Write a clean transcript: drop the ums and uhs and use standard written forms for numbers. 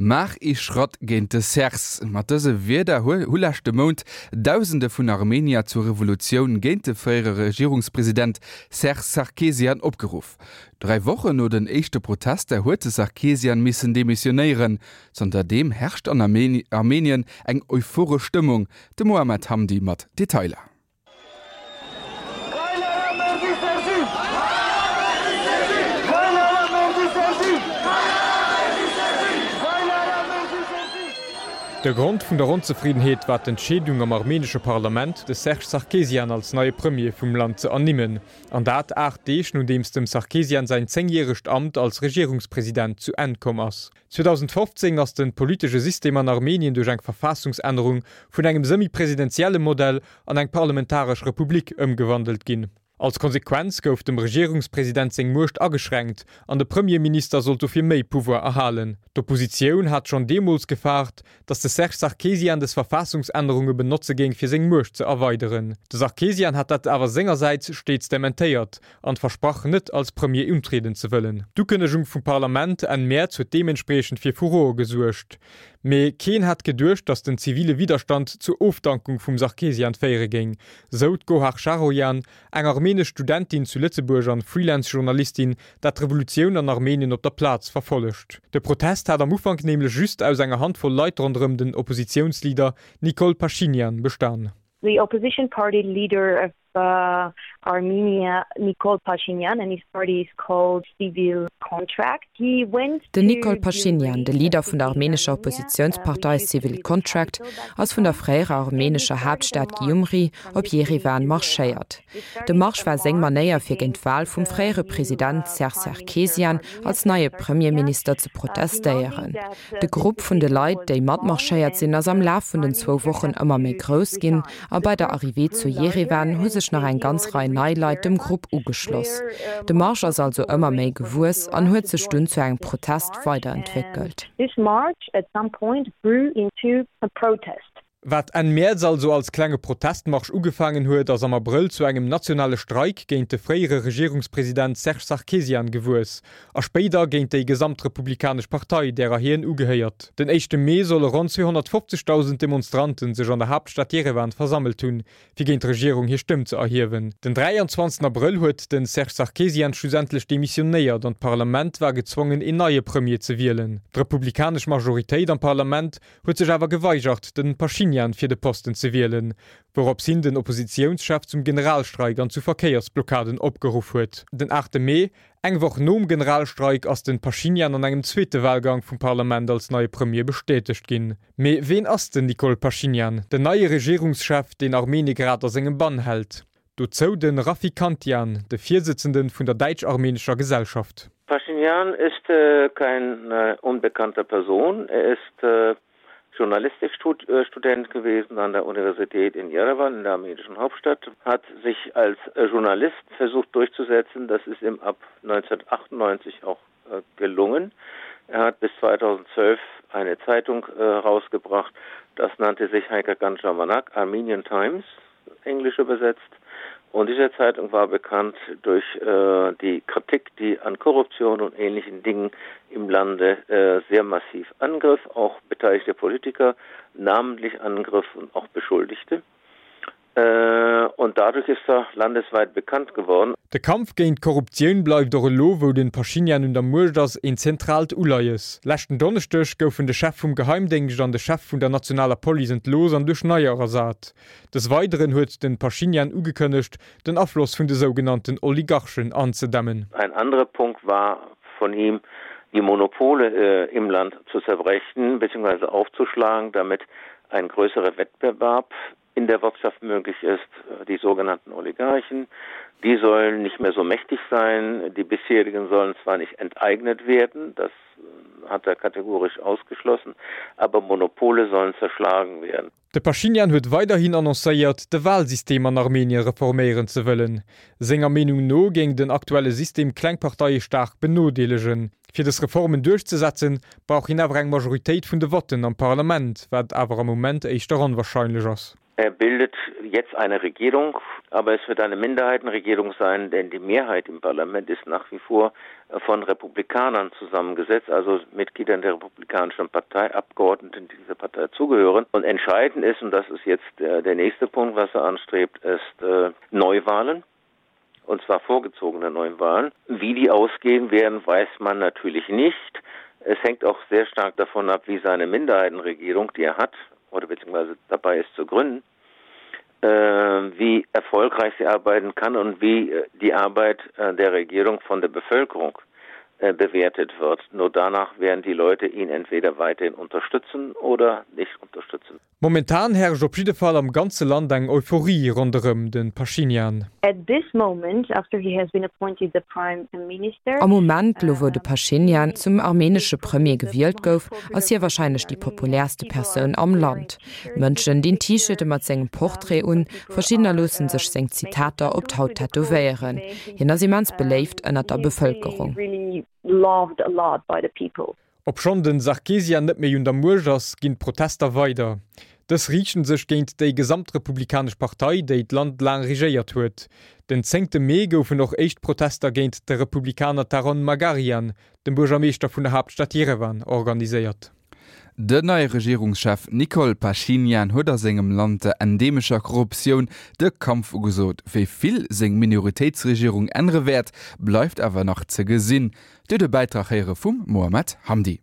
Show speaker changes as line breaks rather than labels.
Maach ee Schratt géint de Serse. Mat dëse Wierder hu leschte Mount Dausende vun Armenier zur Revolutioun géint de fréiere Regierungspresident Serge Sarkisian opgeruff. Dräi Wochen no den éischte Protester huet de Sarkisian missen demissionéieren. Zanter deem herrscht an Armenien eng euphoresch Stëmmung. De Mohamed Hamdi mat Detailer.
De Grond vun der Onzefriddenheet war d'Entscheedung am armenesche Parlament, de Serge Sarkisian als neie Premier vum Land ze ernimmen. An dat 8 Deeg nodeems dem Sarkisian säin zéngjäregt Amt als Regierungspresident zu Enn komm ass. 2015 ass de politesche System an Armenien duerch eng Verfassungsännerung vun engem semi-presidentielle Modell an eng parlamentaresch Republik ëmgewandelt ginn. Als Konsequenz gouf dem Regierungspresident seng Muecht ageschränkt an de Premierminister sollt dofir méi Pouvoir erhalen. D'Oppositioun hat schonn deemools gefaart, datt de Serge Sarkisian des Verfassungsännerunge benotze géing fir seng Muecht ze erweideren. De Sarkisian hat dat awer sengersäits steets dementéiert an versprach net als Premier untrieden ze wëllen. D'Ukënnegung vum Parlament Enn Mäerz huet deementspriechend fir Furore gesuergt. Mee keen hat geduecht, datt den zivile Widderstand zur Ofdankung vum Sarkisian féiere géing, sou d'Gohar Sharoyan, eng armenesch Studentin zu Lëtzebuerg an Freelance-Journalistin, dat d'Revolutioun an Armenien op der Plaz verfollegt. De Protest hat am Ufank nämlech just aus enger Handvoll Leit ronderëm den Oppositiounsleader Nikol Pashinyan bestan.
The opposition party leader of Armenia Nikol Pashinyan and his party is called Civil Contract. He went
Den Nikol Pashinyan, de Leader vun der armenescher Oppositiounspartei Civil Contract, ass vun der fréierer armenescher Haaptstad Gyumri op Jerewan marschéiert. De Marsch war seng Manéier fir géint d'Wal vum fréiere President Serge Sarkisian als neie Premierminister ze protestéieren. De Grupp vun de Leit, déi matmarschéiert sinn, ass am Laf vun den zwou Wochen ëmmer méi grouss ginn a bei der Arrivée zu Jerewan hu sech nach eng ganz Rei nei Leit dem Grupp ugeschloss. De Marsch ass also ëmmer méi gewuess an huet sech dunn zu engem Protest weiderentwéckelt.
Wat Enn Mäerz also als klenge Protestmarsch ugefaangen huet, ass am Abrëll zu engem nationale Streik géint de fréiere Regierungspresident Serge Sarkisian gewuess a spéider géint déi gesamt Republikanesch Partei, därer hien ugehéiert. Den éischte Mee solle ronn 250.000 Demonstranten sech an der Haaptstad Jerewan versammelt hunn, fir géint d'Regierung hir Stëmm ze erhiewen. Den 23 Abrëll huet de Serge Sarkisian schlussendlech demissionéiert an d'Parlament war gezwongen een neie Premier ze wielen. D'republikanesch Majoritéit am Parlament huet sech awer geweigert, den Pashinyan fir de Posten ze wielen, wourops hin den Oppositiounschef zum Generalstreik an zu Verkéiersblockaden opgeruff huet. Den 8 Mee, eng Woch nom Generalstreik, ass den Pashinyan an engem zweete Walgang vum Parlament als neie Premier bestätegt ginn. Mee ween ass den Nikol Pashinyan, den neie Regierungschef, deen Armenie grad a sengem Bann hält? Dozou de Raffi Kantian, de Virsëtzende vun der däitsch-armenescher Gesellschaft.
Pashinyan ist äh, kein äh, unbekannter Person. Er ist äh, Journalistikstudent gewesen an der Universität in Jerewan, in der armenischen Hauptstadt, hat sich als Journalist versucht durchzusetzen. Das ist ihm ab 1998 auch äh, gelungen. Er hat bis 2012 eine Zeitung äh, rausgebracht, das nannte sich Heike Ganjamanak, Armenian Times, englisch übersetzt. Und diese Zeitung war bekannt durch äh, die Kritik, die an Korruption und ähnlichen Dingen im Lande äh, sehr massiv angriff, auch beteiligte Politiker namentlich angriff und auch Beschuldigte. Äh, und dadurch ist er landesweit bekannt geworden.
De Kampf géint d'Korruptioun bleift och elo, wou de Pashinyan un der Muecht ass, een zentraalt Uleies. Leschten Donneschdeg goufen de Chef vum Geheimdéngscht an de Chef vun der nationaler Police entlooss an duerch neier ersat. Des Weideren huet de Pashinyan ugekënnegt, den Afloss vun de sougenannten Oligarchen anzedämmen.
Ein anderer Punkt war von ihm, die Monopole äh, im Land zu zerbrechen bzw. aufzuschlagen, damit ein größerer Wettbewerb in der Wirtschaft möglich ist, äh, die sogenannten Oligarchen. Die sollen nicht mehr so mächtig sein. Die bisherigen sollen zwar nicht enteignet werden, das äh, hat er kategorisch ausgeschlossen, aber Monopole sollen zerschlagen werden.
De Pashinyan huet weiderhin annoncéiert, de Walsystem an Armenien reforméieren ze wëllen. Senger Meenung no géing den aktuelle System kleng Parteie staark benodeelegen. Fir dës Reformen duerchzesetzen, brauch hien awer eng Majoritéit vun de Votten am Parlament, wat awer am Moment éischter onwarscheinlech ass.
Er bildet jetzt eine Regierung, aber es wird eine Minderheitenregierung sein, denn die Mehrheit im Parlament ist nach wie vor. von Republikanern zusammengesetzt, also Mitgliedern der Republikanischen Partei, Abgeordneten, die dieser Partei zugehören. Und entscheidend ist, und das ist jetzt der, der nächste Punkt, was er anstrebt, ist äh, Neuwahlen und zwar vorgezogene Neuwahlen. Wie die ausgehen werden, weiß man natürlich nicht. Es hängt auch sehr stark davon ab, wie seine Minderheitenregierung, die er hat oder beziehungsweise dabei ist zu gründen, äh, wie erfolgreich sie arbeiten kann und wie äh, die Arbeit äh, der Regierung von der Bevölkerung äh, bewertet wird. Nur danach werden die Leute ihn entweder weiterhin unterstützen oder nicht unterstützen.
Momentan herrscht op jidde Fall am ganze Land eng Euphorie ronderëm de Pashinyan.
At this moment, after he has been appointed the prime minister.
Am Moment, lo wou de Pashinyan zum armenesche Premier gewielt gouf, ass hie warscheinlech déi populärste Persoun am Land. Mënschen dinn T-Shirte mat sengem Portrait un, verschiddener loosse sech seng Zitater op d'Haut tätowéieren. Hien ass immens beléift ënnert der Bevëlkerung.
Obschonn den Sarkisian net méi un der Muecht ass, ginn d'Protester weider. Dës riichten sech géint déi gesamt Republikanesch Partei, déi d'Land laang regéiert huet. Den zéngte Mee goufen och éischt Protester géint de Republikaner Taron Magarian, dem Buergermeeschter vun der Haaptstad Jerewan, organiséiert.
Den neie Regierungschef Nikol Pashinyan huet a sengem Land der endemescher Korruptioun de Kampf ugesot. Wéi vill seng Minoritéitsregierung ännere wäert, bleift awer nach ze gesinn. Dir hutt e Bäitrag héiere vum Mohamed Hamdi.